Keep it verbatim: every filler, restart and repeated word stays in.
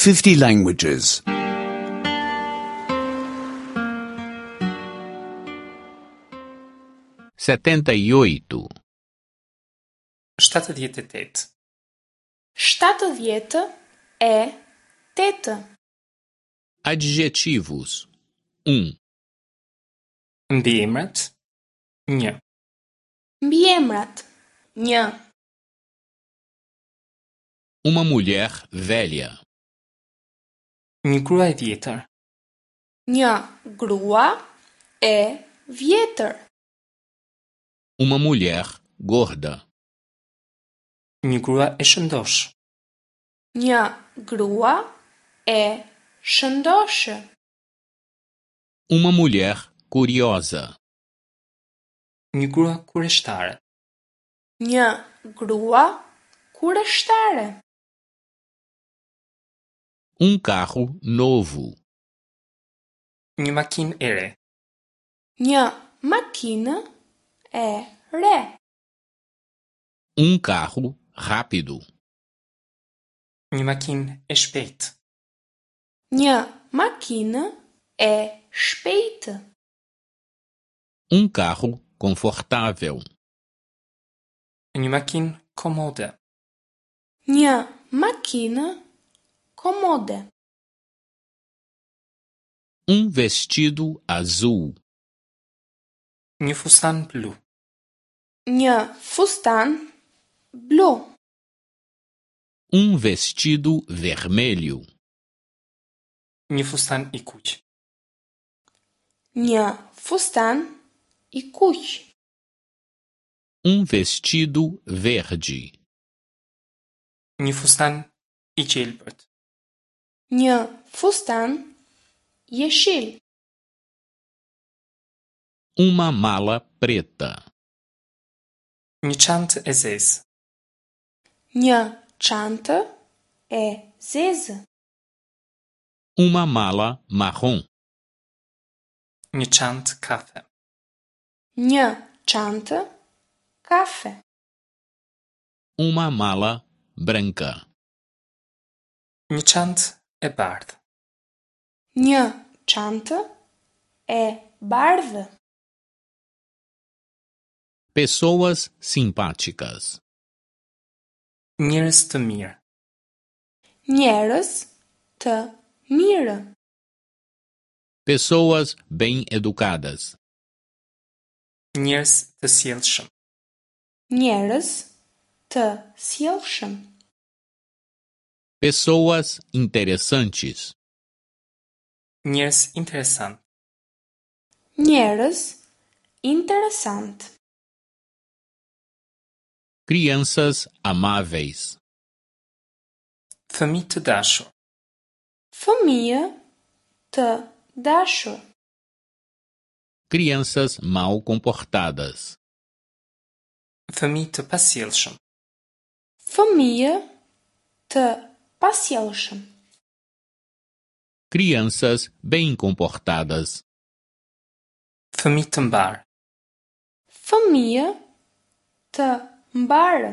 fifty languages. setenta e oito, shtatëdhjetë e tetë, shtatëdhjetë e tetë, Adjetivos. Um. Mbiemrat një, Mbiemrat një, Uma mulher velha. Një grua e vjetër, një grua e vjetër, Uma mulher gorda. Një grua e shëndoshë, një grua e shëndoshë, Uma mulher curiosa. Një grua kureshtare, një grua kureshtare, Um carro novo. Një makinë e re, një makinë e re, Um carro rápido. Një makinë e shpejtë, një makinë e shpejtë, Um carro confortável. Një makinë komode, një makinë komode, Um vestido azul. Një fustan blu, një fustan blu, Um vestido vermelho. Një fustan i kuq, një fustan i kuq, Um vestido verde. Një fustan i gjelbërt, një fustan jeshil, Uma mala preta. Një çantë e zezë, një çantë e zezë, Uma mala marrom. Një çantë kafe, një çantë kafe, Uma mala branca. Një çantë e bardhë, një çantë e bardhë, Pessoas simpáticas. Njerëz të mirë, njerëz të mirë, Pessoas bem educadas. Njerëz të sjellshëm, njerëz të sjellshëm, Pessoas interessantes. Njerëz interesant, njerëz interesant, Crianças amáveis. Fëmijë të dashur, fëmijë të dashur, Crianças mal comportadas. Fëmijë të pasjellshëm, fëmijë të pasjellshëm, Crianças bem comportadas. Fëmijë të mbar, fëmijë të mbarë.